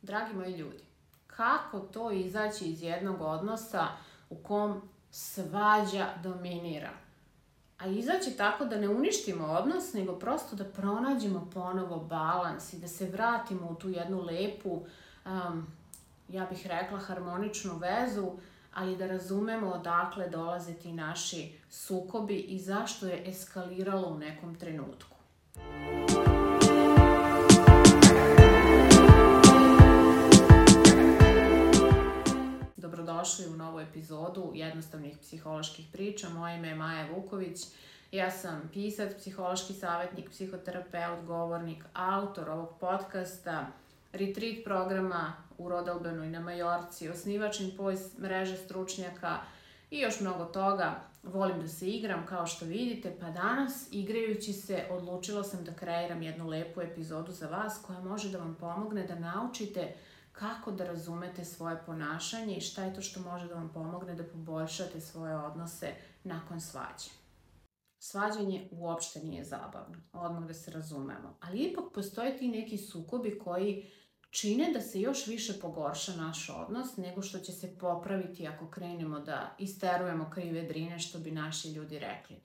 Dragi moji ljudi, kako to izaći iz jednog odnosa u kom svađa dominira? A izaći tako da ne uništimo odnos, nego prosto da pronađemo ponovo balans i da se vratimo u tu jednu lepu, ja bih rekla harmoničnu vezu, ali da razumemo odakle dolaze ti naši sukobi i zašto je eskaliralo u nekom trenutku. Dobrodošli u novu epizodu jednostavnih psiholoških priča. Moje ime je Maja Vuković. Ja sam pisac, psihološki savjetnik, psihoterapeut, govornik, autor ovog podcasta, retreat programa u Rodalbenu i na Majorci, osnivač mreže stručnjaka i još mnogo toga. Volim da se igram, kao što vidite, pa danas, igrajući se, odlučila sam da kreiram jednu lepu epizodu za vas koja može da vam pomogne da naučite kako da razumete svoje ponašanje i šta je to što može da vam pomogne da poboljšate svoje odnose nakon svađe. Svađanje uopšte nije zabavno, odmah da se razumemo, ali ipak postoje ti neki sukobi koji čine da se još više pogorša naš odnos nego što će se popraviti ako krenemo da isterujemo krive drine, što bi naši ljudi rekli.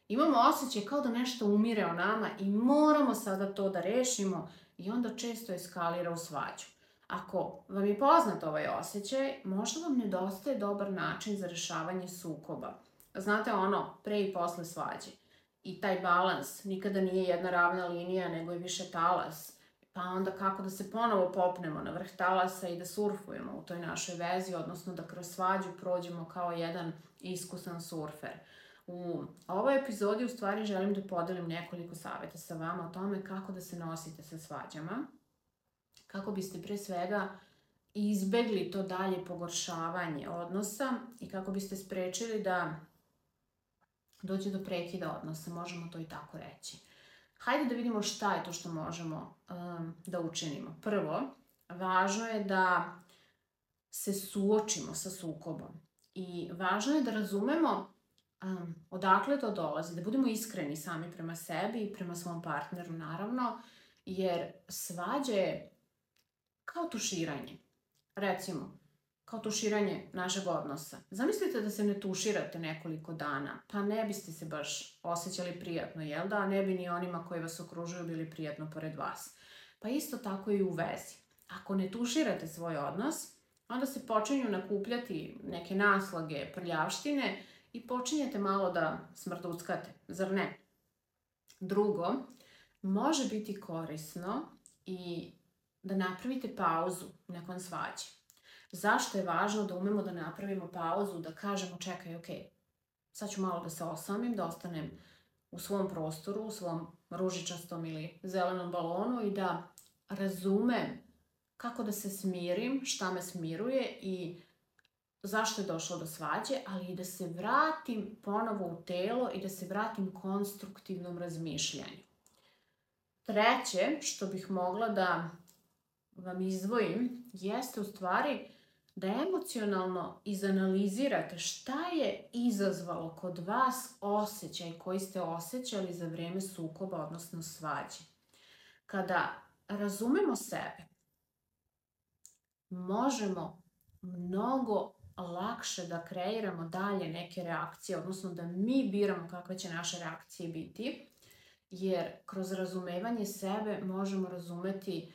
Imamo osjećaj kao da nešto umire o nama i moramo sada to da rešimo i onda često eskalira u svađu. Ako vam je poznat ovaj osjećaj, možda vam nedostaje dobar način za rešavanje sukoba. Znate ono, pre i posle svađe. I taj balans nikada nije jedna ravna linija, nego je više talas. Pa onda kako da se ponovo popnemo na vrh talasa i da surfujemo u toj našoj vezi, odnosno da kroz svađu prođemo kao jedan iskusan surfer. U ovoj epizodi u stvari želim da podelim nekoliko savjeta sa vama o tome kako da se nosite sa svađama, kako biste pre svega izbegli to dalje pogoršavanje odnosa i kako biste sprečili da dođe do prekida odnosa, možemo to i tako reći. Hajde da vidimo šta je to što možemo da učinimo. Prvo, važno je da se suočimo sa sukobom i važno je da razumemo odakle to dolazi, da budemo iskreni sami prema sebi i prema svom partneru naravno, jer svađa je kao tuširanje. Recimo, kao tuširanje našeg odnosa. Zamislite da se ne tuširate nekoliko dana, pa ne biste se baš osjećali prijatno, jel da? A ne bi ni onima koji vas okružuju bili prijatno pored vas. Pa isto tako i u vezi. Ako ne tuširate svoj odnos, onda se počinju nakupljati neke naslage, prljavštine i počinjete malo da smrduckate, zar ne? Drugo, može biti korisno i da napravite pauzu nakon svađe. Zašto je važno da umemo da napravimo pauzu, da kažemo čekaj, ok, sad ću malo da se osamim, da ostanem u svom prostoru, u svom ružičastom ili zelenom balonu i da razumem kako da se smirim, šta me smiruje i zašto je došlo do svađe, ali i da se vratim ponovo u telo i da se vratim konstruktivnom razmišljanju. Treće, što bih mogla da vam izdvojim, jeste u stvari da emocionalno izanalizirate šta je izazvalo kod vas osjećaj koji ste osjećali za vreme sukoba, odnosno svađe. Kada razumemo sebe, možemo mnogo lakše da kreiramo dalje neke reakcije, odnosno da mi biramo kakve će naše reakcije biti, jer kroz razumevanje sebe možemo razumeti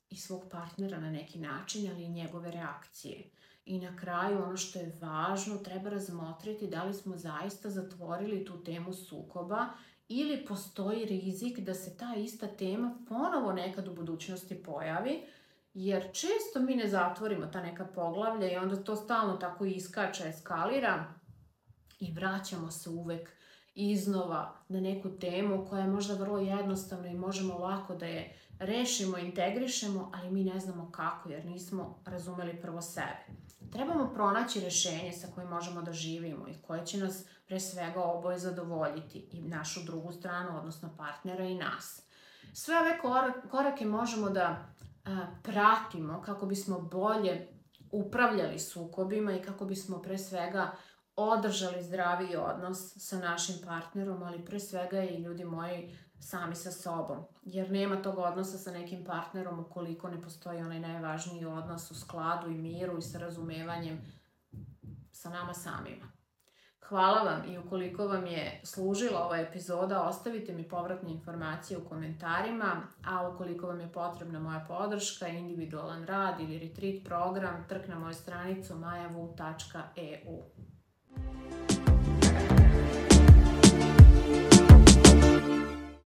i svog partnera na neki način, ali i njegove reakcije. I na kraju, ono što je važno, treba razmotriti da li smo zaista zatvorili tu temu sukoba ili postoji rizik da se ta ista tema ponovo nekad u budućnosti pojavi, jer često mi ne zatvorimo ta neka poglavlja i onda to stalno tako iskače, eskalira i vraćamo se uvek iznova na neku temu koja je možda vrlo jednostavna i možemo lako da je rešimo, integrišemo, ali mi ne znamo kako jer nismo razumeli prvo sebe. Trebamo pronaći rešenje sa kojim možemo da živimo i koje će nas pre svega oboje zadovoljiti i našu drugu stranu, odnosno partnera i nas. Sve ove korake možemo da pratimo kako bismo bolje upravljali sukobima i kako bismo pre svega održali zdraviji odnos sa našim partnerom, ali pre svega i ljudi moji sami sa sobom, jer nema tog odnosa sa nekim partnerom ukoliko ne postoji onaj najvažniji odnos u skladu i miru i sa razumevanjem sa nama samima. Hvala vam i ukoliko vam je služila ova epizoda, ostavite mi povratne informacije u komentarima, a ukoliko vam je potrebna moja podrška, individualan rad ili retreat program, trk na moju stranicu majavu.eu.